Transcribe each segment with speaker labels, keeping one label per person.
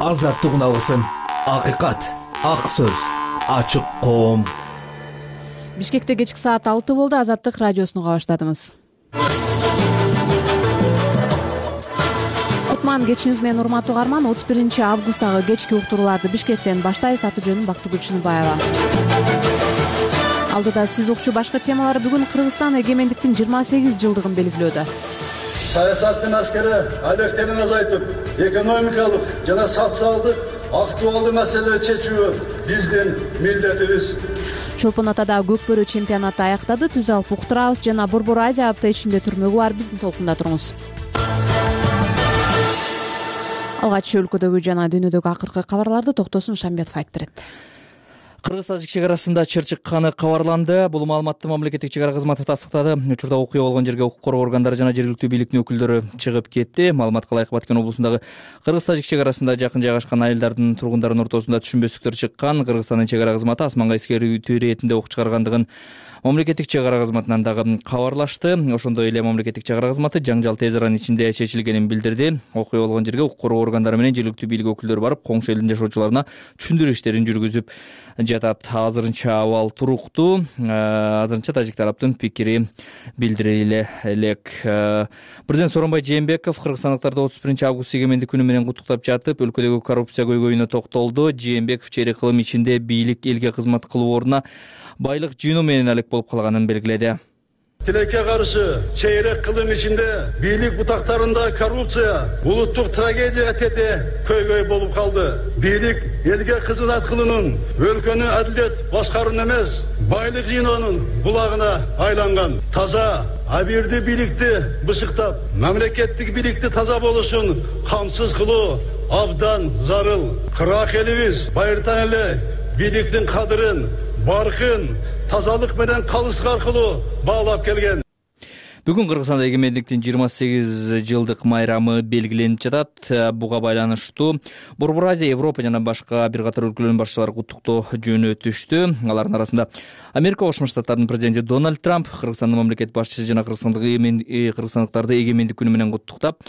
Speaker 1: азаттык алсын. Акыйкат, ак сөз, ачык коом.
Speaker 2: Бишкекте кечки саат 6 болду. Азаттык радиосуну уга баштадыңыз. Кутман кечиңиз менен урматтуу угарман. 31-августтагы кечки уктурууларды Бишкектен баштайбыз. Аты жөнүм Бактыгүл Чыныбаева. Алдыда сиз укчу башка темалар. Бүгүн Кыргызстан эгемендиктин 28 жылдыгын белгилөөдө.
Speaker 3: Саясаттын аскери алектенин азайтып, экономикалык жана социалдык актуалдуу маселелерди чечүү биздин милдетибиз.
Speaker 2: Чолпон Атада көкбөрү чемпионаты аяктады. Түз алып уктурабыз жана Борбор Азия апта ичинде түрмөгү бар. Биздин толкунда туруңуз. Алгач өлкөдөгү жана дүйнөдөгү акыркы кабарларды Токтосун Шамбетов айтып берет.
Speaker 4: Кыргыз-тажик чек арасында чыр чыкканы кабарланды. Бул маалыматты мамлекеттик чек ара кызматы тастыктады. Учурда окуя болгон жерге укук коргоо органдары жана жергиликтүү бийликтин өкүлдөрү чыгып кетти. Маалыматка ылайык Баткен облусундагы Кыргыз-тажик чек арасында жакын жайгашкан айылдардын тургундардын ортосунда түшүнбөстүктөр чыккан. Кыргызстандын чек ара кызматы асманга эскерүү иретинде ок чыгаргандыгын мамлекеттик чек ара кызматынан дагы кабарлашты. Ошондой эле мамлекеттик чек ара кызматы жаңжал тез аранын ичинде чечилгенин билдирди. Окуя болгон жерге укук коргоо органдары менен жергиликтүү бийлик өкүлдөрү барып, коңшу элдин жашоочуларына түшүндүрүү иштерин жүргүзүп жатат. Азырынча абал туруктуу. Азырынча тажик тараптын пикири билдириле элек. Президент Сооронбай Жээнбеков кыргызстандыктарды 31-август эгемендик күнү менен куттуктап жатып, өлкөдөгү коррупция көйгөйүнө токтолду. Жээнбеков чейрек кылым ичинде бийлик элге кызмат кылуу ордуна байлык жыйноо менен алек болуп калганын белгиледи.
Speaker 3: Тилекке каршы чейрек кылым ичинде бийлик бутактарында коррупция улуттук трагедияга тете көйгөй болуп калды. Бийлик элге кызмат кылуунун, өлкөнү адилет башкаруунун эмес, байлык жыйноонун булагына айланган. Таза, абийирдүү бийликти бышыктап, мамлекеттик бийликти таза болушун камсыз кылуу абдан зарыл. Кырак элибиз байыртан эле бийликтин кадырын, баркын тазалык менен калыстык аркылуу баалап келген.
Speaker 4: Бүгүн Кыргызстанда эгемендиктин 28 жылдык майрамы белгиленип жатат. Буга байланыштуу Борбор Азия, Европа жана башка бир катар өлкөлөрдүн башчылары куттуктоо жөнөтүштү. Алардын арасында Америка Кошмо Штаттарынын президенти Дональд Трамп Кыргызстандын мамлекет башчысы жана кыргызстандыктарды эгемендик күнү менен куттуктап,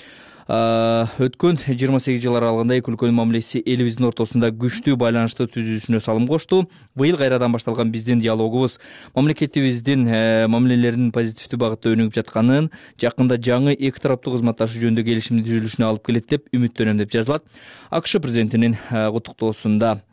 Speaker 4: өткөн 28 жыл аралыгында эки өлкөнүн мамилеси элибиздин ортосунда күчтүү байланышты түзүүсүнө салым кошту. Быйыл кайрадан башталган биздин диалогубуз мамлекетибиздин мамилелеринин позитивдүү багытта өнүгүп жатканын, жакында жаңы эки тараптуу кызматташуу жөнүндө келишимдин түзүлүшүнө алып келет деп үмүттөнөм деп жазылат АКШ президентинин куттуктоосунда.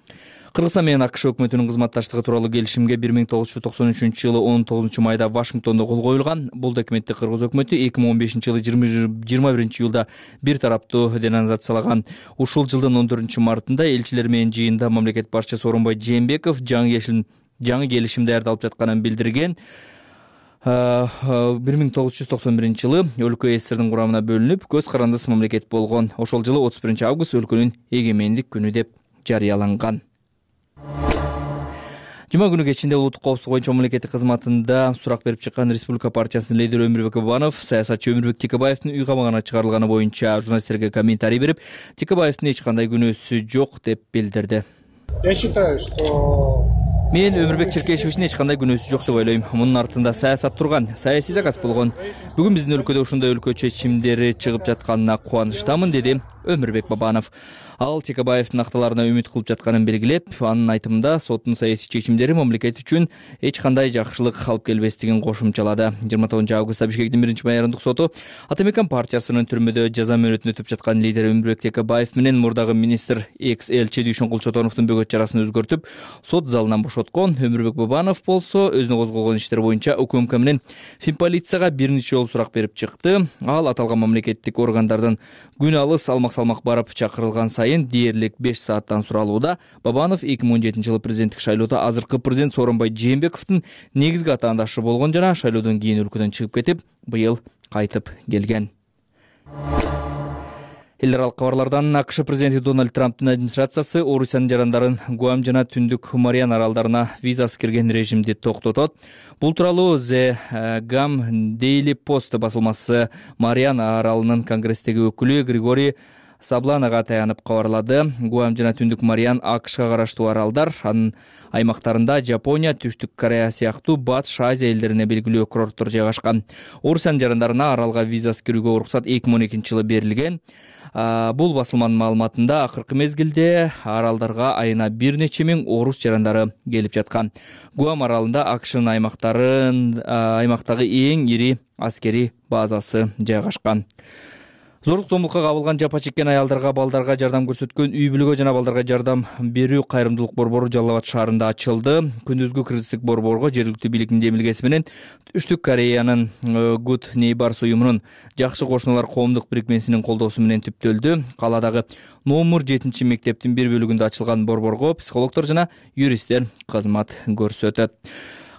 Speaker 4: Кыргызстан менен АКШ өкмөтүнүн кызматташтыгы тууралуу келишимге 1993-жылы 19-майда Вашингтондо кол коюлган. Бул документти кыргыз өкмөтү 2015-жылы 21-июлда бир тараптуу денонсациялаган. Ушул жылдын 14-мартында элчилер менен жыйында мамлекет башчысы Сооронбай Жээнбеков жаңы келишим даярдалып жатканын билдирген. 1991-жылы өлкө СССРдин курамына бөлүнүп, көз карандысыз мамлекет болгон. Ошол жылы 31-август өлкөнүн эгемендик күнү деп жарыяланган. Жума күнү кечинде улуттук коопсуздук боюнча мамлекеттик кызматында сурак берип чыккан Республика партиясынын лидери Өмүрбек Бабанов саясатчы Өмүрбек Текебаевдин үй камагына чыгарылганы боюнча журналисттерге комментарий берип, Текебаевдин эч кандай күнөөсү жок деп билдирди.
Speaker 5: Я считаю, что
Speaker 4: Мен Өмүрбек Черкешевичтин эч кандай күнөөсү жок деп ойлойм. Мунун артында саясат турган, саясий заказ болгон. Бүгүн биздин өлкөдө ушундай өлкө чечимдери чыгып жатканына кубанычтамын, деди Өмүрбек Бабанов. Ал Текебаевдин акталарына үмүт кылып жатканын белгилеп, анын айтымында соттун саясий чечимдери мамлекет үчүн эч кандай жакшылык алып келбестигин кошумчалады. 29-августта Бишкектин 1-майрандык соту Атамекен партиясынын түрмөдө жаза мөөнөтүн өтүп жаткан лидери Өмүрбек Текебаев менен мурдагы министр экс-элчи Дүйшөнкул Чотоновдун бөгөт чарасын өзгөртүп, сот залынан бошоткон. Өмүрбек Бабанов болсо өзүнө козголгон иштер боюнча УКМК менен Финполицияга бир нече жолу сурак берип чыкты. Ал аталган мамлекеттик органдардын күн алыс салмак барып чакырылган сайын дээрлик 5 сааттан суралууда. Бабанов 2017-жылы президенттик шайлоодо азыркы президент Сооронбай Жээнбековдун негизги атаандашы болгон жана шайлоодон кийин өлкөдөн чыгып кетип, быйыл кайтып келген. Эл аралык кабарлардан АКШ президенти Дональд Трамптын администрациясы Орусиянын жарандарын Гуам жана Түндүк Мариан аралдарына визасыз кирген режимди токтотот. Бул тууралуу The Gam Daily Post басылмасы Мариан аралынын конгресстеги өкүлү Григорий Сабланага таянып кабарлады. Гуам жана Түндүк Мариан АКШга караштуу аралдар. Анын аймактарында Жапония, Түштүк Корея сыяктуу Батыш Азия элдерине белгилүү курорттор жайгашкан. Орусиянын жарандарына аралга визасыз кирүүгө уруксат 2012 жылы берилген. Бул басылманын маалыматында акыркы мезгилде аралдарга айына бир нече миң орус жарандары келип жаткан. Гуам аралында АКШнын аймактагы эң ири аскерий базасы жайгашкан. Зорлук зомбулукка кабылган жапа чеккен аялдарга, балдарга жардам көрсөткөн үй бүлөгө жана балдарга жардам берүү кайрымдуулук борбору Жалал Абад шаарында ачылды. Күндүзгү кризистик борборго жергиликтүү бийликтин демилгеси менен Түштүк Кореянын Good Neighbors уюмунун Жакшы кошуналар коомдук бирикмесинин колдоосу менен түптөлдү. Каладагы номер 7 мектептин бир бөлүгүндө ачылган борборго психологдор жана юристтер кызмат көрсөтөт.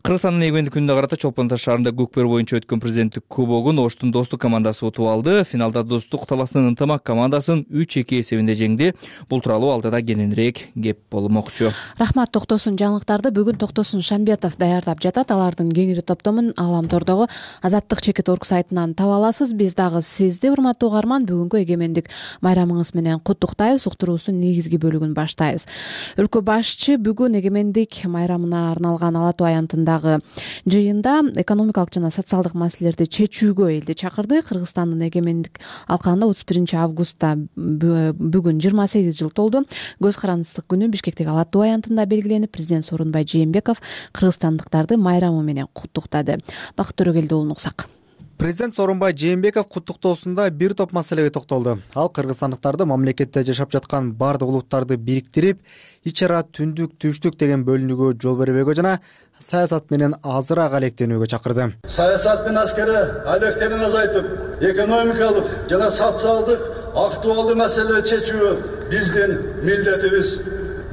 Speaker 4: Кыргызстандын эгемендик күнүнө карата Чолпон Таш шаарында көкпөр боюнча өткөн президенттик кубогун Оштун Достук командасы утуп алды. Финалда Достук талаасынын ынтымак командасын 3-2 эсебинде жеңди. Бул тууралуу алдыда кененирээк кеп болмокчу.
Speaker 2: Рахмат Токтосун. Жаңылыктарды бүгүн Токтосун Шамбетов даярдап жатат. Алардын кеңири топтомун Аламтордогу Азаттык.org сайтынан таба аласыз. Биз дагы сизди, урматтуу угарман, бүгүнкү эгемендик майрамыңыз менен куттуктайбыз. Уктуруусунун негизги бөлүгүн баштайбыз. Өлкө башчы бүгүн эгемендик майрамына арналган Ала Тоо аянтында жыйында экономикалык жана социалдык маселелерди чечүүгө элди чакырды. Кыргызстандын эгемендик алкагында 31 августта бүгүн 28 жыл толду. Көз карандысыздык күнү Бишкектеги Ала Тоо аянтында белгиленип, президент Сооронбай Жээнбеков кыргызстандыктарды майрамы менен куттуктады. Бакыт Төрөгелди уулун уксак.
Speaker 6: Президент Сооронбай Жээнбеков куттуктоосунда бир топ маселеге токтолду. Ал кыргызстандыктарды мамлекетте жашап жаткан бардык улуттарды бириктирип, ич ара түндүк, түштүк деген бөлүнүүгө жол бербөөгө жана саясат менен азыраак алектенүүгө чакырды.
Speaker 3: Саясат менен аскери алектенин азайтып, экономикалык жана социалдык актуалдуу маселелерди чечүү биздин милдетибиз.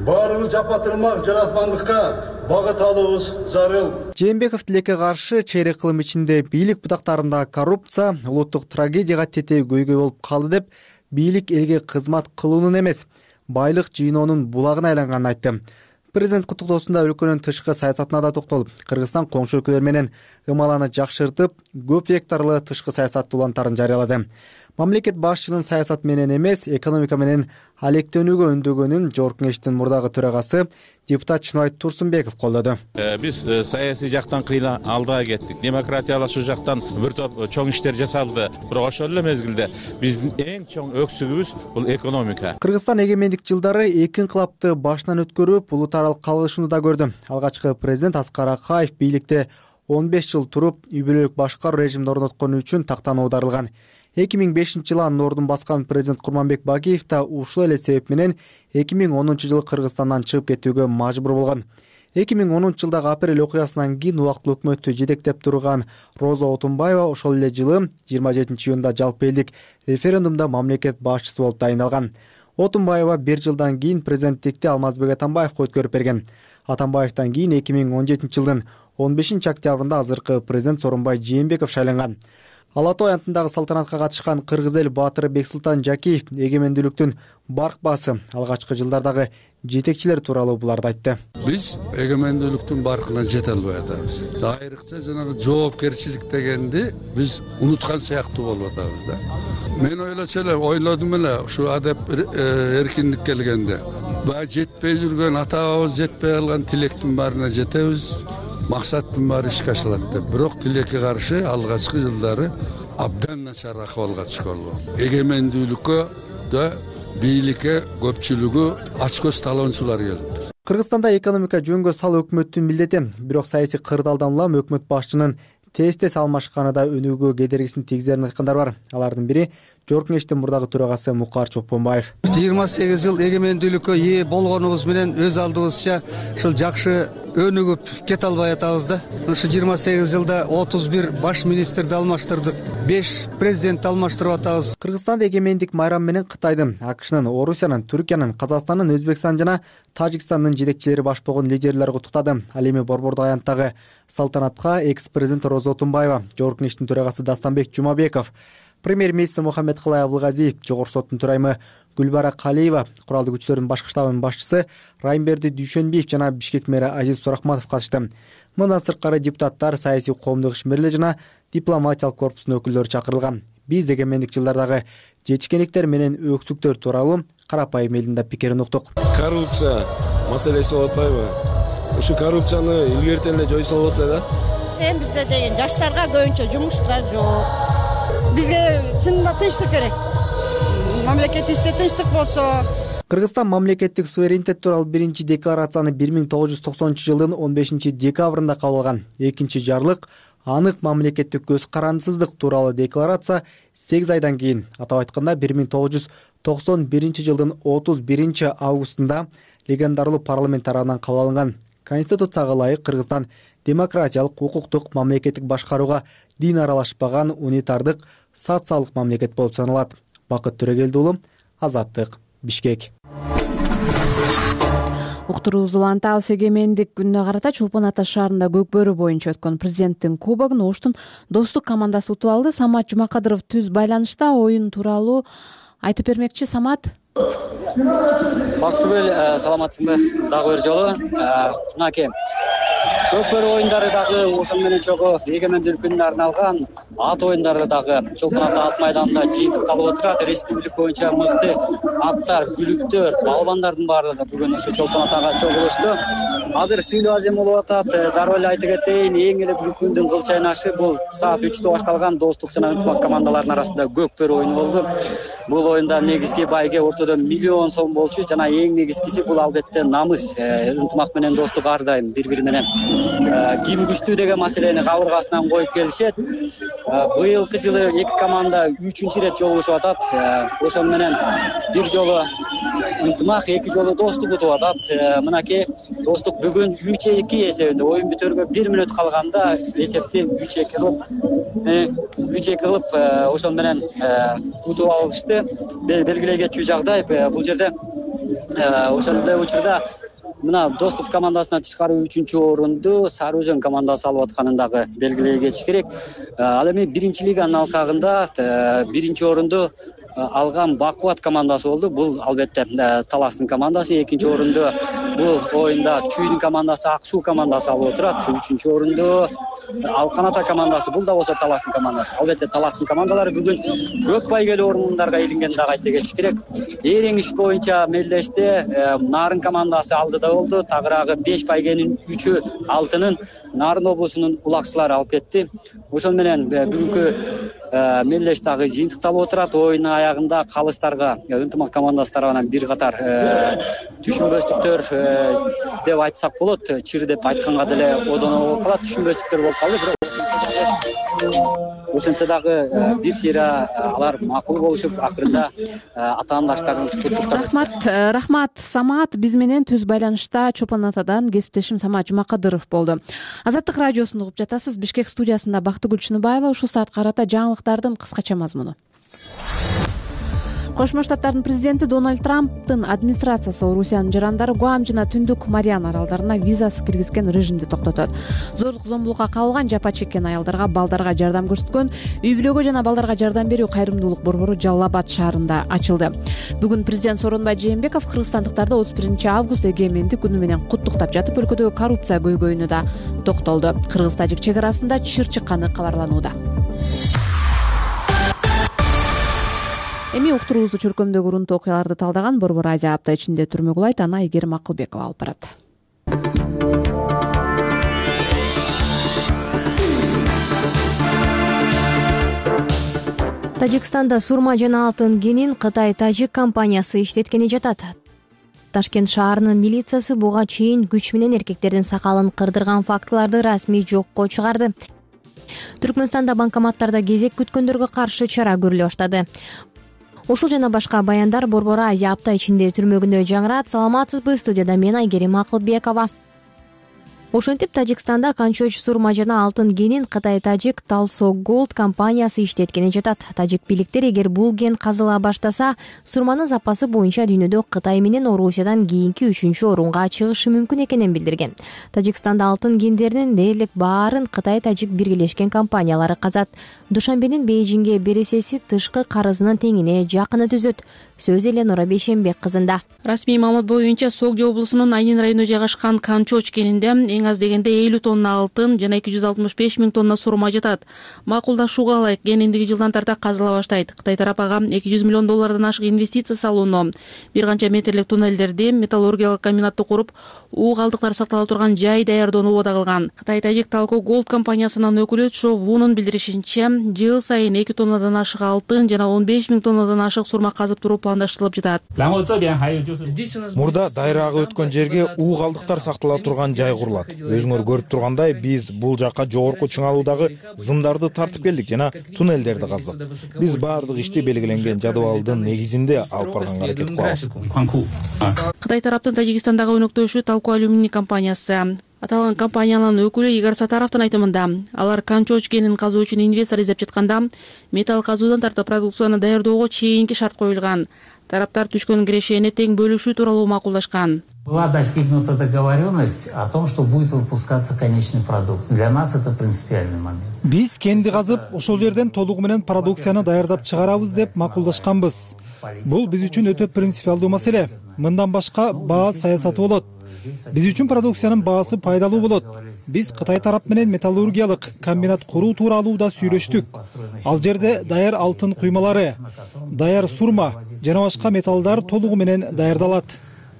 Speaker 3: Баарыбыз жапатырмак жаратмандыкка багыт алуубуз зарыл.
Speaker 6: Жээнбеков тилекке каршы чейрек кылым ичинде бийлик бутактарында коррупция, улуттук трагедияга тетээ көйгөй болуп калды деп, бийлик элге кызмат кылуунун эмес, байлык жыйноонун булагына айланганын айтты. Президент куттуктоосунда өлкөнүн тышкы саясатына да токтолуп, Кыргызстан коңшу өлкөлөр менен ымаланы жакшыртып, көп векторлуу тышкы саясат улантарын жарыялады. Мамлекет башчынын саясат менен эмес, экономика менен алектенүүгө үндөгөнүн Жогорку Кеңештин мурдагы төрагасы депутат Чыныбай Турсунбеков колдоду.
Speaker 7: Биз саясий жактан кыйла алдыга кеттик. Демократиялашуу жактан бир топ чоң иштер жасалды. Бирок ошол эле мезгилде биздин эң чоң өксүгүбүз бул экономика.
Speaker 6: Кыргызстан эгемендик жылдары эки инкылапты башынан өткөрүп, улут аралык калышууну да көрдү. Алгачкы президент Аскар Акаев бийликте 15 жыл туруп, үй бүлөлүк башкаруу режимин орноткону үчүн тактан оодарылган. 2005 жылы анын ордун баскан президент Курманбек Багиев да ушул эле себеп менен 2010 жылы Кыргызстандан чыгып кетүүгө мажбур болгон. 2010 жылдагы апрель окуясынан кийин убактылуу өкмөттү жетектеп турган Роза Отунбаева ошол эле жылы 27 июнда жалпы элдик референдумда мамлекет башчысы болуп дайындалган. Отунбаева бир жылдан кийин президенттикти Алмазбек Атамбаевге өткөрүп берген. Атамбаевден кийин 2017 жылдын 15 октябрында азыркы президент Сооронбай Жээнбеков шайланган. Ала Тоо аянтындагы салтанатка катышкан кыргыз эл баатыры Бексултан Жакиев эгемендүүлүктүн баркбасы, алгачкы жылдардагы жетекчилер тууралуу буларды айтты.
Speaker 8: Биз эгемендүүлүктүн баркына жете албай атабыз. Айрыкча жанагы жоопкерчилик дегенди биз унуткан сыяктуу болуп атабыз да. Мен ойлодум эле ушу адеп эркиндик келгенде. Баа жетпей жүргөн, ата-бабабыз жетпей калган тилектин баарына жетебиз. Максаттын баары ишке ашылат деп. Бирок тилекке каршы алгачкы жылдары абдан начар акыбалга түшкөн. Эгемендүүлүккө да бийликке көпчүлүгү ачкөз талоончулар келиптир.
Speaker 6: Кыргызстанда экономика жөнгө салуу өкмөттүн милдети. Бирок саясий кырдаалдан улам өкмөт башчынын тез алмашканы да өнүүгө кедергисин тийгизерин айткандар бар. Алардын бири Жогорку Кеңештин мурдагы төрагасы Мукар Чокпонбаев.
Speaker 9: 28 жыл эгемендүүлүккө ээ болгонубуз менен өз алдыбызча ушул жакшы өнүгүп кете албай атабыз да. Ушу 28 жылда 31 баш министрди алмаштырдык, 5 президентти алмаштырып атабыз.
Speaker 6: Кыргызстанда эгемендик майрам менен Кытайдын, АКШнын, Орусиянын, Түркиянын, Казакстандын, Өзбекстан жана Тажикстандын жетекчилери баш болгон лидерлер куттуктады. Ал эми борбордук аянттагы салтанатка экс-президент Роза Отунбаева, Жогорку Кеңештин төрагасы Дастанбек Жумабеков, премьер-министр Мухаммедкалай Абылгазиев, Жогорку соттун төрайымы Гүлбара Калиева, куралдуу күчлөрдүн башкы штабынын башчысы Райымберди Дүйшөнбиев жана Бишкек мэри Азиз Сурахматов катышты. Мындан сырткары депутаттар, саясий коомдук ишмерлер жана дипломатиялык корпустун өкүлдөрү чакырылган. Биз эгемендик жылдардагы жетишкендиктер менен өксүктөр тууралуу карапайым элдин да пикирин уктук.
Speaker 10: Коррупция маселеси болуп атпайбы? Ушу коррупцияны илгертен эле жойсо болот эле да.
Speaker 11: Эми бизде деген жаштарга көбүнчө жумуштар жок. Бизге чынында тынчтык керек. Мамлекетибизде тынчтык болсо.
Speaker 6: Кыргызстан мамлекеттик суверенитет тууралуу биринчи декларацияны 1990-жылдын 15-декабрында кабыл алган. Экинчи жарлык анык мамлекеттик көз карандысыздык тууралуу декларация 8 айдан кийин, атап айтканда 1991-жылдын 31-августунда легендарлуу парламент тарабынан кабыл алынган. Конституцияга ылайык Кыргызстан демократиялык, укуктук, мамлекеттик башкарууга дин аралашпаган унитардык социалдык мамлекет болуп саналат. Бакыт Төрөгелди уулу, Азаттык, Бишкек.
Speaker 2: Уктуруубузду улантабыз. Эгемендик күнүнө карата Чолпон Ата шаарында Көкбөрү боюнча өткөн президенттин кубогун Оштун Достук командасы утуп алды. Самат Жумакадыров түз байланышта оюн тууралуу айтып бермекчи. Самат.
Speaker 12: Бактыгүл, саламатсыңбы? Дагы бир жолу. Мынакей Көкбөрү оюндары дагы ошол менен чогуу эгемендик күнүнө арналган ат оюндары дагы Чолпон Ата ат майданында жыйынтыкталып отурат. Республика боюнча мыкты аттар, күлүктөр, балбандардын баардыгы бүгүн ошо Чолпон Атага чогулушту. Азыр сүйлөө азем болуп атат. Дароо эле айтып кетейин, эң эле бүгүнкү күндүн кыл чайнашы бул саат 3-тө башталган Достук жана ынтымак командаларынын арасында Көкбөрү оюну болду. Бул оюнда негизги байге ортодо 1 миллион сом болчу жана эң негизгиси бул албетте намыс. Ынтымак менен достук ар дайым бири-бири менен ким күчтүү деген маселени кабыргасынан коюп келишет. Быйылкы жылы эки команда 3-чү ирет жолугушуп атат. Ошол менен бир жолу ынтымак, эки жолу достук утуп атат. Мынакей достук бүгүн 3-2 эсебинде оюн бүтөргө 1 мүнөт калганда эсепти 3-2 кылып ошол менен утуп алышты. Белгилей кетчү жагдай бул жерде ошол эле учурда мына Достук командасынан тышкары 3-чү орунду Сары Өзөн командасы алып атканын дагы белгилей кетиш керек. Ал эми биринчи лиганын алкагында биринчи орунду алган Бакубат командасы болду. Бул албетте Таластын командасы. Экинчи орунду бул оюнда Чүйдүн командасы, Ак Суу командасы алып отурат. Үчүнчү орунду Алкан Ата командасы, бул да болсо Таластын командасы. Албетте Таластын командалары бүгүн көк байгелүү орундарга илингенин дагы айта кетиш керек. Ээреңиш боюнча мелдеште Нарын командасы алдыда болду. Тагыраагы 5 байгенин 3-ü алтынын Нарын облусунун улакчылары алып кетти. Ошол менен бүгүнкү мелдеш дагы жыйынтыкталып отурат. Оюнун аягында калыстарга ынтымак командасы тарабынан бир катар түшүнбөстүктөр деп айтсак болот. Чыр деп айтканга деле одоно болуп калат. Түшүнбөстүктөр болуп калды. Ошентсе дагы бир сыйра алар макул болушуп, акырында атаандаштарын куттуктап.
Speaker 2: Рахмат Самат. Биз менен түз байланышта Чолпон Атадан кесиптешим Самат Жумакадыров болду. Азаттык радиосун угуп жатасыз. Бишкек студиясында Бактыгүл Чыныбаева. Ушул саат карата жаңылыктардын кыскача мазмуну. Кошмо Штаттардын президенти Дональд Трамптын администрациясы Орусиянын жарандары Гуам жана Түндүк Мариан аралдарына визасыз киргизген режимди токтотот. Зорлук зомбулукка кабылган, жапа чеккен аялдарга, балдарга жардам көрсөткөн үй бүлөгө жана балдарга жардам берүү кайрымдуулук борбору Жалал Абад шаарында ачылды. Бүгүн президент Сооронбай Жээнбеков кыргызстандыктарды 31-август эгемендик күнү менен куттуктап жатып, өлкөдөгү коррупция көйгөйүнө да токтолду. Кыргыз-тажик чек арасында чыр чыкканы кабарланууда. Эми уктуруубузду чөлкөмдөгү урунтуу окуяларды талдаган Борбор Азия апта ичинде түрмөгү улайт. Аны Айгерим Акылбекова алып барат.
Speaker 13: Тажикстанда сурма жана алтын кенин Кытай Тажик компаниясы иштеткени жатат. Ташкент шаарынын милициясы буга чейин күч менен эркектердин сакалын кырдырган фактыларды расмий жокко чыгарды. Түркмөнстанда банкоматтарда кезек күткөндөргө каршы чара көрүлө баштады. Ушул жана башка баяндар Борбор Азия апта ичинде түрмөгүндө жаңырат. Саламатсызбы? Студияда мен Айгерим Акылбекова. Ошентип Тажикстанда Канчоч сурма жана алтын кенин Кытай Тажик Талсо Голд компаниясы иштеткени жатат. Тажик бийликтер эгер бул кен казыла баштаса, сурманын запасы боюнча дүйнөдө Кытай менен Орусиядан кийинки 3-чү орунга чыгышы мүмкүн экенин билдирген. Тажикстанда алтын кендеринин дээрлик баарын Кытай Тажик биргелешкен компаниялары казат. Душанбенин Бейжиңге бересеси тышкы карызынын теңине жакыны түзөт. Сөз Эленора Бейшембек кызында.
Speaker 14: Расмий маалымат боюнча Согди облусунун Айнин районунда жайгашкан Канчоч кенинде эң аз дегенде 50 тонна алтын жана 265 000 тонна сурма жатат. Макулдашууга ылайык кен эндиги жылдан тарта казыла баштайт. Кытай тарап ага $200 миллион ашык инвестиция салууну, бир канча метрлик туннелдерди, металлургиялык комбинатты куруп, уу калдыктар сактала турган жай даярдоону убада кылган. Кытай Тажик Талко Голд компаниясынын өкүлү Чо Вунун билдиришинче, жыл сайын 2 тоннадан ашык алтын жана 15 000 тоннадан ашык сурма казып туруу пландаштырылып жатат.
Speaker 15: Мурда дайрагы өткөн жерге уу калдыктар сактала турган жай курулат. Өзүңөр көрүп тургандай, биз бул жака жогорку чыңалуудагы зымдарды тартып келдик жана туннелдерди каздык. Биз баардык ишти белгиленген жадыбалдын негизинде алып барганга аракет кылабыз.
Speaker 14: Кытай тараптын Тажикстандагы өнөктөшү Талко алюминий компаниясы. Аталган компаниянын өкүлү Игорь Сатаровдун айтымында, алар Канчоч кенин казуу үчүн инвестор издеп жатканда, металл казуудан тартып продукцияны даярдоого чейинки шарт коюлган. Тараптар түшкөн кирешени тең бөлүшүү тууралуу макулдашкан.
Speaker 16: Была достигнута договоренность о том, что будет выпускаться конечный продукт. Для нас это принципиальный момент.
Speaker 17: Биз кенди казып, ошол жерден толугу менен продукцияны даярдап чыгарабыз деп макулдашканбыз. Бул биз үчүн өтө принципиалдуу маселе. Мындан башка баа саясаты болот. Биз үчүн продукциянын баасы пайдалуу болот. Биз Кытай тарап менен металлургиялык комбинат куруу тууралуу да сүйлөштүк. Ал жерде даяр алтын куймалары, даяр сурма жана башка металлдар толугу менен даярдалат.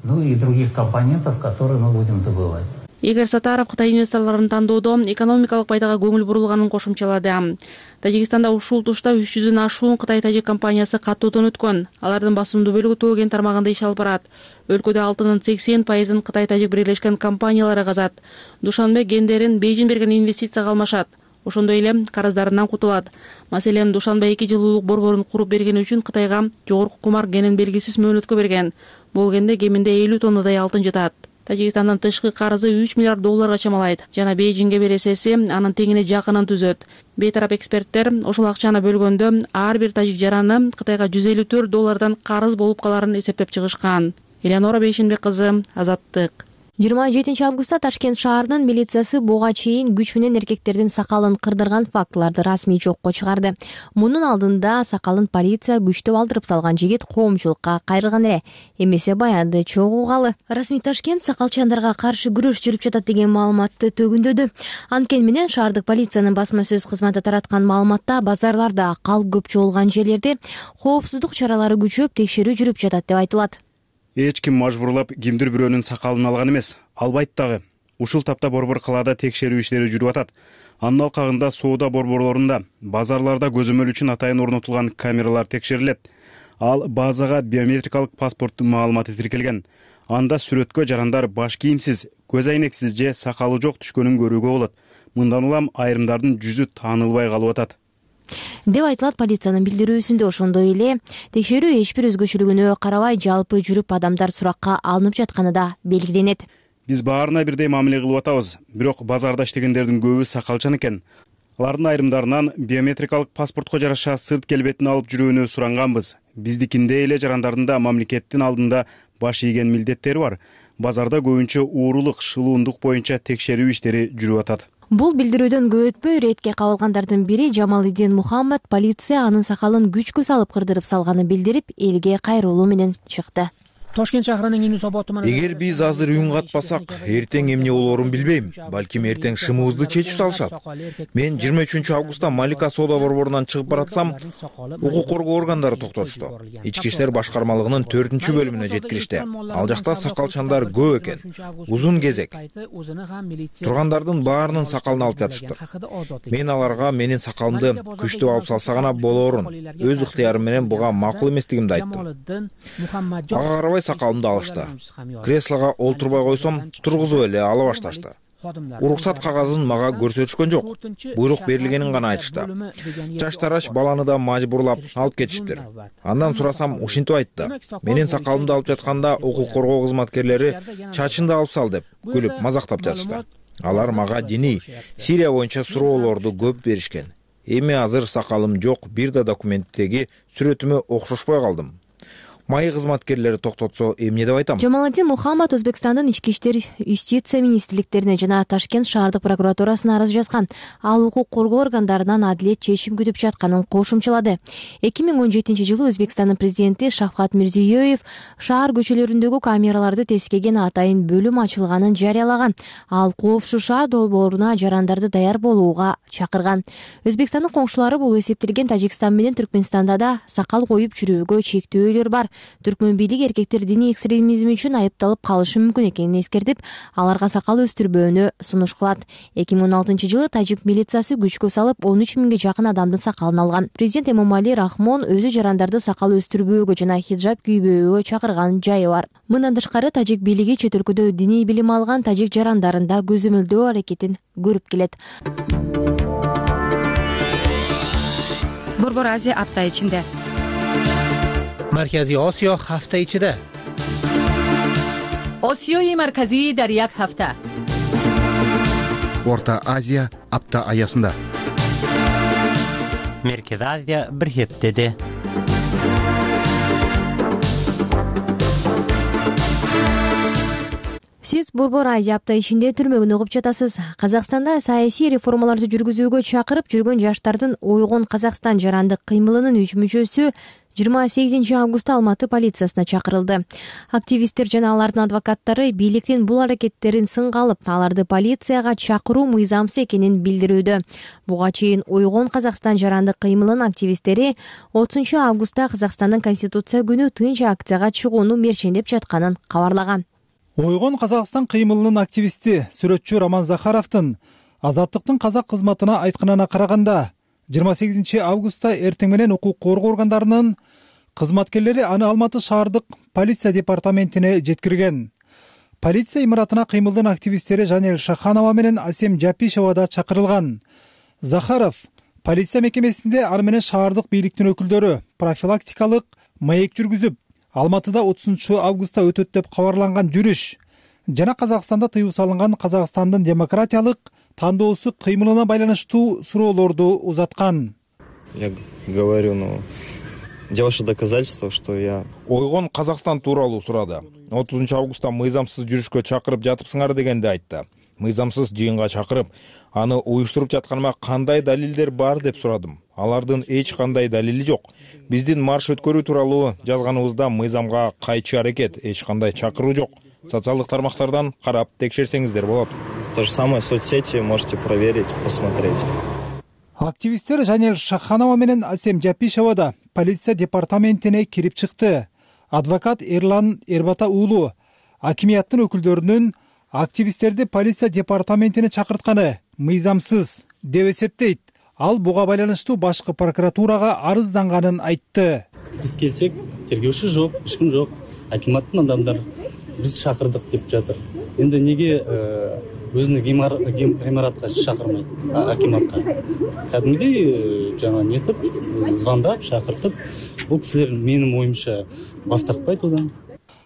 Speaker 16: Ну и других компонентов, которые мы будем добывать.
Speaker 14: Игорь Сатаров Кытай инвесторлорун тандоодо экономикалык пайдага көңүл бурулганын кошумчалады. Тажикстанда ушул тушта 300дөн ашуун Кытай-Тажик компаниясы каттоодон өткөн. Алардын басымдуу бөлүгү Тоо кен тармагында иш алып барат. Өлкөдө алтындын 80% Кытай-Тажик бирлешкен компаниялары казат. Душанбе кендерин Бейжин берген инвестицияга алмашат. Ошондой эле карыздарынан кутулат. Маселен, Душанбе 2 жылуулук борборун куруп бергени үчүн Кытайга жогорку кумар кенин белгисиз мөөнөткө берген. Бул кенде кеминде 50 тоннадай алтын жатат. Тажикстандын тышкы карызы $3 миллиард чамалайт. Жана Бейжинге бересеси анын теңине жакынын түзөт. Бейтарап эксперттер ошол акчаны бөлгөндө ар бир тажик жараны Кытайга $154 карыз болуп каларын эсептеп чыгышкан. Элеонора Бейшенбек кызы, Азаттык.
Speaker 13: 27 августта Ташкент шаарынын милициясы буга чейин күч менен эркектердин сакалын кырдырган фактыларды расмий жокко чыгарды. Мунун алдында сакалын полиция күчтөп алдырып салган жигит коомчулукка кайрылган эле. Эмесе баянды чогуугалы. Расмий Ташкент сакалчандарга каршы күрөш жүрүп жатат деген маалыматты төгүндөдү. Анткени менен шаардык полициянын басма сөз кызматы тараткан маалыматта базарларда калк көп чогулган жерлерде коопсуздук чаралары күчөп текшерүү жүрүп жатат деп айтылат.
Speaker 18: Эч ким мажбурлап кимдир бирөөнүн сакалын алган эмес, албайт дагы. Ушул тапта борбор калаада текшерүү иштери жүрүп атат. Анын алкагында соода борборлорунда, базарларда көзөмөл үчүн атайын орнотулган камералар текшерилет. Ал базага биометрикалык паспорттун маалыматы тиркелген. Анда сүрөткө жарандар баш кийимсиз, көз айнексиз же сакалы жок түшкөнүн көрүүгө болот. Мындан улам айрымдардын жүзү таанылбай калып атат
Speaker 13: деп айтылат полициянын билдирүүсүндө. Ошондой эле текшерүү эч бир өзгөчөлүгүнө карабай жалпы жүрүп адамдар суракка алынып жатканы да белгиленет.
Speaker 18: Биз баарына бирдей мамиле кылып атабыз, бирок базарда иштегендердин көбү сакалчан экен. Алардын айрымдарынан биометрикалык паспортко жараша сырт келбетин алып жүрүүнү суранганбыз. Биздикиндей эле жарандардын да мамлекеттин алдында баш ийген милдеттери бар. Базарда көбүнчө уурулук, шылуундук боюнча текшерүү иштери жүрүп атат.
Speaker 13: Бул билдирүүдөн көп өтпөй иретке кабылгандардын бири Жамалидин Мухаммад полиция анын сакалын күчкө салып кырдырып салганын билдирип, элге кайрылуу менен чыкты.
Speaker 19: Тошкент шаарынын күнү соботу менен
Speaker 15: эгер биз азыр үн катпасак, эртең эмне болоорун билбейм. Балким эртең шымыбызды чечип салышат. Мен 23 августта Малика соода борборунан чыгып баратсам, укук коргоо органдары токтотушту. Ички иштер башкармалыгынын 4-бөлүмүнө жеткиришти. Ал жакта сакалчандар көп экен. Узун кезек. Тургандардын баарынын сакалын алып жатышты. Мен аларга менин сакалымды күчтөп алып салса гана болоорун, өз ыктыярым менен буга макул эместигимди айттым. Ага сакалымды алышты. Креслого олтурбай койсом, тургузуп эле ала башташты. Уруксат кагазын мага көрсөтүшкөн жок. Буйрук берилгенин гана айтышты. Жаштараш баланы да мажбурлап алып кетиштир. Андан сурасам, ушинтип айтты. Менин сакалымды алып жатканда укук коргоо кызматкерлери чачынды алып сал деп күлүп мазактап жатышты. Алар мага диний, Сирия боюнча суроолорду көп беришкен. Эми азыр сакалым жок, бир да документтеги сүрөтүмө окшошпой калдым. Май кызматкерлери токтотсо эмне деп айтам?
Speaker 13: Жамалатдин Мухаммад Өзбекстандын ички иштер, юстиция министрликтерине жана Ташкент шаардык прокуратурасына арыз жазган. Ал укук коргоо органдарынан адилет чечим күтүп жатканын кошумчалады. 2017-жылы Өзбекстандын президенти Шавкат Мирзиёев шаар көчөлөрүндөгү камераларды тескеген атайын бөлүм ачылганын жарыялаган. Ал коопсуша долбооруна жарандарды даяр болууга чакырган. Өзбекстандын коңшулары бул эсептелген Тажикстан менен Түркмөнстанда да сакал коюп жүрүүгө чектөөлөр бар. Түркмөн бийлиги эркектер диний экстремизм үчүн айыпталып калышы мүмкүн экенин эскертип, аларга сакал өстүрбөөнү сунуш кылат. 2016-жылы тажик милициясы күчкө салып 13 миңге жакын адамдын сакалын алган. Президент Эмомали Рахмон өзү жарандарды сакал өстүрбөөгө жана хиджаб кийбөөгө чакырган жайы бар. Мындан тышкары тажик бийлиги чет өлкөдө диний билим алган тажик жарандарын да көзөмөлдөө аракетин көрүп келет.
Speaker 20: Борбор Азия апта ичинде.
Speaker 1: Маркази Осиё ҳафта ичида.
Speaker 20: Осиёи марказӣ дар як ҳафта.
Speaker 21: Орта Азия апта аясында.
Speaker 22: Merkezi Азия bir heftede.
Speaker 13: Сиз Борбор Азия апта ичинде түрмөгүн угуп жатасыз. Казакстанда саясий реформаларды жүргүзүүгө чакырып жүргөн жаштардын Ойгон Казакстан жарандык кыймылынын 3 мүчөсү 28 августта Алматы полициясына чакырылды. Активисттер жана алардын адвокаттары бийликтин бул аракеттерин сынга алып, аларды полицияга чакыруу мыйзамсыз экенин билдирүүдө. Буга чейин Ойгон Казакстан жарандык кыймылынын активисттери 30 августта Казакстандын Конституция күнү тынч акцияга чыгууну мерчендеп жатканын кабарлаган.
Speaker 17: Ойгон Казакстан кыймылынын активисти сүрөтчү Роман Захаровдун Азаттыктын казак кызматына айтканына караганда 28 августта эртең менен укук коргоо органдарынын кызматкерлери аны Алматы шаардык полиция департаментине жеткирген. Полиция имаратына кыймылдын активисттери Жанел Шаханова менен Асем Жапишева да чакырылган. Захаров полиция мекемесинде аны менен шаардык бийликтин өкүлдөрү профилактикалык маек жүргүзүп, Алматыда 30 августта өтөт деп кабарланган жүрүш жана Казакстанда тыюу салынган Казакстандын демократиялык тандоосу кыймылына байланыштуу суроолорду узаткан.
Speaker 23: Я говорю, где ваши доказательства, что я...
Speaker 15: Ойгон Казакстан тууралуу сурады. 30 августта мыйзамсыз жүрүшкө чакырып жатыпсыңар дегенди айтты. Мыйзамсыз жыйынга чакырып, аны уюштуруп жатканыма кандай далилдер бар деп сурадым. Алардын эч кандай далили жок. Биздин марш өткөрүү тууралуу жазганыбызда мыйзамга кайчы аракет, эч кандай чакыруу жок. Социалдык тармактардан карап текшерсеңиздер болот.
Speaker 23: То же самое соцсети можете проверить, посмотреть.
Speaker 17: Активисттер Жанел Шаханова менен Асем Жапишева да полиция департаментине кирип чыкты. Адвокат Эрлан Эрбата уулу акимияттын өкүлдөрүнүн активисттерди полиция департаментине чакыртканы мыйзамсыз деп эсептейт. Ал буга байланыштуу башкы прокуратурага арызданганын айтты.
Speaker 24: Биз келсек, тергөөчү жок, эч ким жок. Акиматтын адамдары биз чакырдык деп жатыр. Эndi неге өзүнүн гимаратка чакырмайт акиматка? Кадимдей жана нетип, звондап, чакыртып, бул кишилер менин оюмча бас тартпайт одан.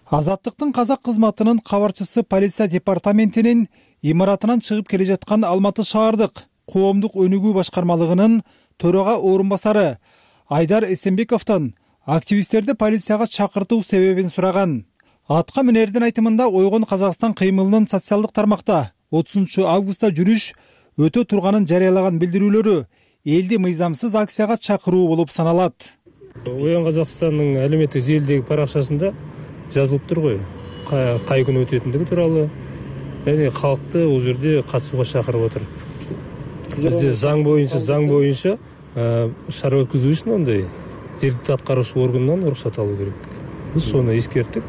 Speaker 17: Азаттыктын казак кызматынын кабарчысы полиция департаментинин имаратынан чыгып келе жаткан Алматы шаардык коомдук өнүгүү башкармалыгынын төрага орун басары Айдар Эсенбековдон активисттерди полицияга чакыртуу себебин сураган. Атка минердин айтымында Ойгон Казакстан кыймылынын социалдык тармакта 30 августта жүрүш өтө турганын жарыялаган билдирүүлөрү элди мыйзамсыз акцияга чакыруу болуп саналат.
Speaker 10: Ойгон Казакстандын әлеуметтик желидеги паракчасында жазылып тур го. Кай күнү өтөтүндүгү тууралуу. Эми калкты бул жерде катышууга чакырып отур. Бизде заң боюнча шара өткөзүү үчүн ондай жергиликтүү аткаруучу органдан уруксат алуу керек. Биз сону эскерттик.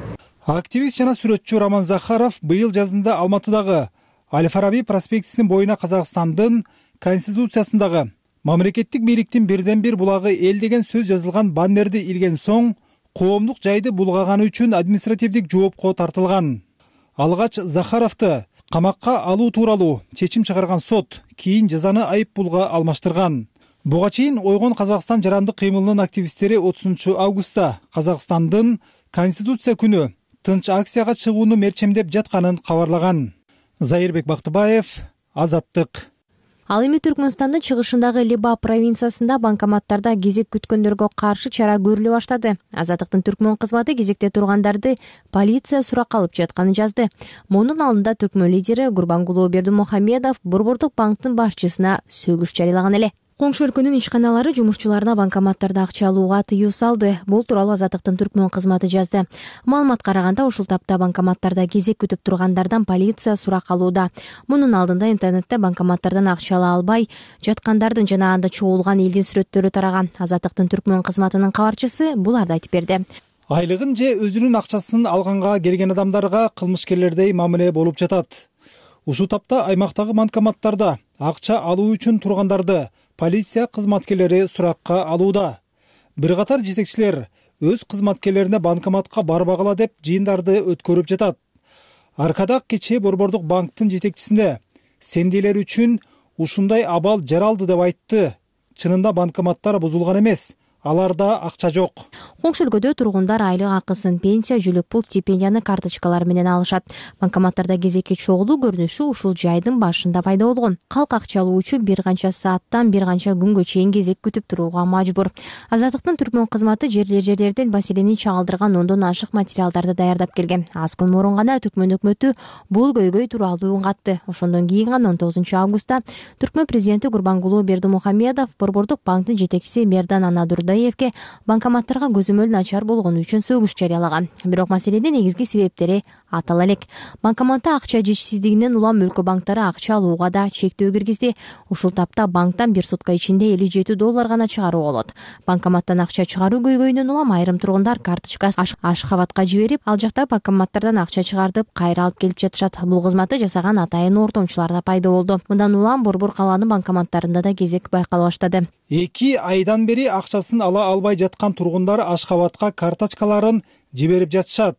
Speaker 17: Активист жана сүрөтчү Роман Захаров быйыл жазында Алматыдагы Аль-Фараби проспектисинин боюна Казакстандын Конституциясындагы мамлекеттик бийликтин бирден бир булагы эл деген сөз жазылган баннерди илген соң коомдук жайды булгаганы үчүн административдик жоопко тартылган. Алгач Захаровду камакка алуу тууралуу чечим чыгарган сот кийин жазаны айып пулга алмаштырган. Буга чейин Ойгон Казакстан жарандык кыймылынын активисттери 30 августта Казакстандын Конституция күнү тынч акцияга чыгууну мерчемдеп жатканын кабарлаган. Зайырбек Бактыбаев, Азаттык.
Speaker 13: Ал эми Түркмөнстандын чыгышындагы Либа провинциясында банкоматтарда кезек күткөндөргө каршы чара көрүлө баштады. Азаттыктын түркмөн кызматы кезекте тургандарды полиция суракка алып жатканын жазды. Мунун алдында түркмөн лидери Гурбангулуу Бердимухамедов Борбордук банктын башчысына сөгүш жарыялаган эле. Коңшу өлкөнүн ишканалары жумушчуларына банкоматтарда акча алууга тыюу салды. Бул тууралуу Азаттыктын түркмөн кызматы жазды. Маалыматка караганда ушул тапта банкоматтарда кезек күтүп тургандардан полиция сурак алууда. Мунун алдында интернетте банкоматтардан акча ала албай жаткандардын жана анда чогулган элдин сүрөттөрү тараган. Азаттыктын түркмөн кызматынын кабарчысы буларды айтып берди.
Speaker 17: Айлыгын же өзүнүн акчасын алганга келген адамдарга кылмышкерлердей мамиле болуп жатат. Ушул тапта аймактагы банкоматтарда акча алуу үчүн тургандарды полиция кызматкерлери суракка алууда. Бир катар жетекчилер өз кызматкерлерине банкоматка барбагыла деп жыйындарды өткөрүп жатат. Аркадак кечээ Борбордук банктын жетекчисинде сендейлер үчүн ушундай абал жаралды деп айтты. Чынында банкоматтар бузулган эмес. Аларда акча жок.
Speaker 13: Коңшу өлкөдө тургундар айлык акысын, пенсия, жүлүк пул, стипендияны карточкалар менен алышат. Банкоматтарда кезекке чогулуу көрүнүшү ушул жайдын башында пайда болгон. Калк акча алуу үчүн бир канча сааттан бир канча күнгө чейин кезек күтүп турууга мажбур. Азаттыктын түркмөн кызматы жерлерден маселени чагылдырган 10дон ашык материалдарды даярдап келген. Аз күн мурун гана түркмөн өкмөтү бул көйгөй тууралуу үн катты. Ошондон кийин гана 19-августта түркмөн президенти Гурбангулуу Бердимухамедов Борбордук банктын жетекчиси Мердан Анадурдаевке банкоматтарга көзөмөл начар болгону үчүн сөгүш жарыялаган. Бирок маселенин негизги себептери атала элек. Банкоматта акча жетишсиздигинен улам өлкө банктары акча алууга да чектөө киргизди. Ушул тапта банктан бир сутка ичинде $57 гана чыгаруу болот. Банкоматтан акча чыгаруу көйгөйүнөн улам айрым тургундар карточкасын Ашхабадка жиберип, ал жакта банкоматтардан акча чыгартып, кайра алып келип жатышат. Бул кызматты жасаган атайын ортомчулар да пайда болду. Мындан улам Борбор калаанын банкоматтарында да кезек байкала баштады.
Speaker 17: 2 айдан бери акчасын ала албай жаткан тургундар Ашхабадка карточкаларын жиберип жатышат.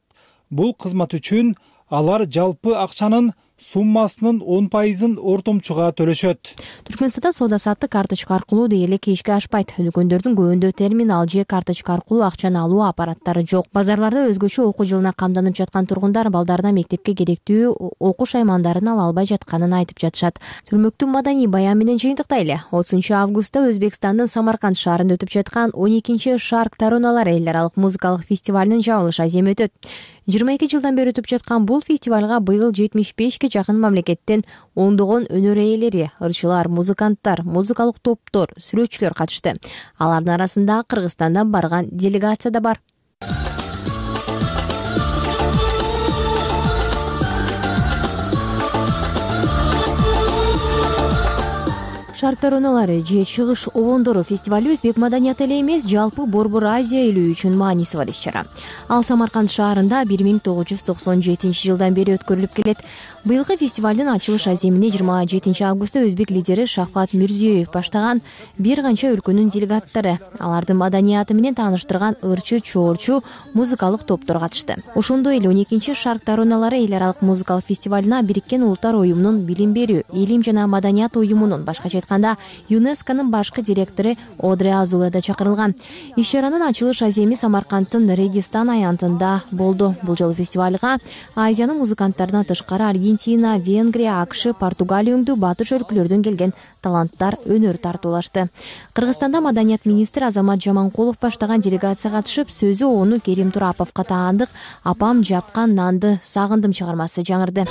Speaker 17: Бул кызмат үчүн алар жалпы акчанын суммасынын 10%-ын ортомчуга төлөшөт.
Speaker 13: Түркмөнстанда соода-саттык карточка аркылуу дээрлик ишке ашпайт. Өлкөндөрдүн көбүндө терминал же карточка аркылуу акчаны алуу аппараттары жок. Базарларда өзгөчө окуу жылына камданып жаткан тургундар балдарына мектепке керектүү окуш аймандарын ала албай жатканын айтып жатышат. Түрмөктүн маданий баян менен жыйынтыктайлы. 30-августта Өзбекстандын Самарканд шаарында өтүп жаткан 12-чи Шарк Тароналар эл аралык музыкалык фестивалынын жабылыш аземи өтөт. 22 жылдан бери өтүп жаткан бул фестивалга быйыл 75 жакын мамлекеттен ондогон өнөр ээлери, ырчылар, музыканттар, музыкалык топтор, сүрөтчүлөр катышты. Алардын арасында Кыргызстандан барган делегация да бар. Шарк тароналары же чыгыш обондору фестивали өзбек маданияты эле эмес, жалпы Борбор Азия элүү үчүн мааниси бар иш-чара. Ал Самарканд шаарында 1997 жылдан бери өткөрүлүп келет. Быйылкы фестивалдын ачылыш аземине 27 августта өзбек лидери Шавкат Мирзиёев баштаган бир канча өлкөнүн делегаттары, алардын маданияты менен тааныштырган ырчы, чоорчу, музыкалык топтор катышты. Ошондой эле 12-чи Шарк тароналары эл аралык музыкалык фестивалына Бириккен Улуттар уюмунун билим берүү, илим жана маданият уюмунун, башкача айтканда ЮНЕСКОнун башкы директору Одре Азуле да чакырылган. Иш-чаранын ачылыш аземи Самаркандтын Регистан аянтында болду. Бул жолу фестивалга Азиянын музыканттарынан тышкары Аргентина, Венгрия, АКШ, Португалия өңдүү батыш өлкөлөрдөн келген таланттар өнөр тартуулашты. Кыргызстанда маданият министри Азамат Жаманкулов баштаган делегация катышып, сөзү ону Керим Тураповго таандык "Апам жапкан нанды сагындым" чыгармасы жаңырды.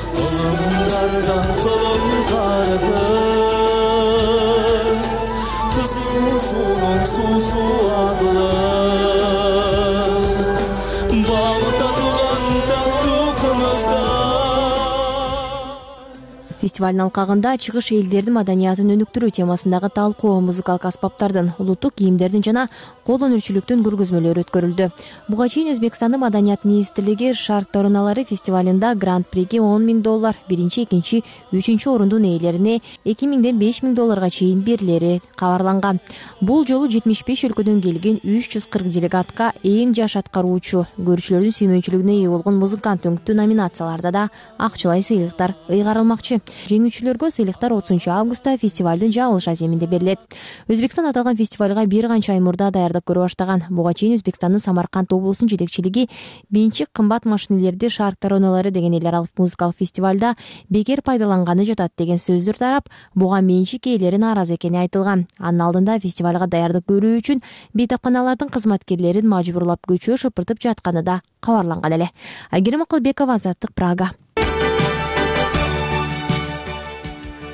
Speaker 13: Фестивалдын алкагында чыгыш элдердин маданиятын өнүктүрүү темасындагы талкуу, музыкалык аспаптардын, улуттук кийимдердин жана кол өнөрчүлүктүн көргөзмөлөрү өткөрүлдү. Буга чейин Өзбекстандын маданият министрлиги Шарк тароналары фестивалында гран-приге $10,000, биринчи, экинчи, үчүнчү орундун ээлерине $2,000ден $5,000 чейин берилери кабарланган. Бул жолу 75 өлкөдөн келген 340 делегатка эң жаш аткаруучу, көрүүчүлөрдүн сүймөнчүлүгүнө ээ болгон музыкант өңкүтүү номинацияларда да акчалай сыйлыктар ыйгарылмакчы. Жеңүүчүлөргө сыйлыктар 30 августта фестивалдын жабылыш аземинде берилет. Өзбекстан аталган фестивалга бир канча ай мурда даярдык көрө баштаган. Буга чейин Өзбекстандын Самарканд облусунун жетекчилиги бенчик кымбат машинелерди шарк таронолору деген эл аралык музыкалык фестивалда бекер пайдаланганы жатат деген сөздөр тарап, буга менчик ээлери нааразы экени айтылган. Анын алдында фестивалга даярдык көрүү үчүн бейтапканалардын кызматкерлерин мажбурлап көчө шыпыртып жатканы да кабарланган эле. Айгерим Акылбекова, Азаттык, Прага.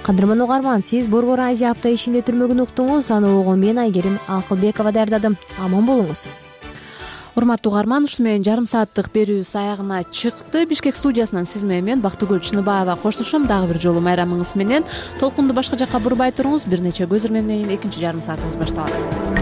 Speaker 13: Кадырман угарман, сиз Борбор Азия апта ичинде түрмөгүн уктуңуз. Аны угун мен Айгерим Акылбекова даярдадым. Аман болуңуз.
Speaker 2: Урматтуу угарман, ушу менен жарым сааттык берүүбүз аягына чыкты. Бишкек студиясынан сиз менен мен Бактыгүл Чыныбаева коштошом. Дагы бир жолу майрамыңыз менен толкунду башка жакка бурбай туруңуз. Бир нече көзөрмөндөн кийин экинчи жарым саатыбыз башталат.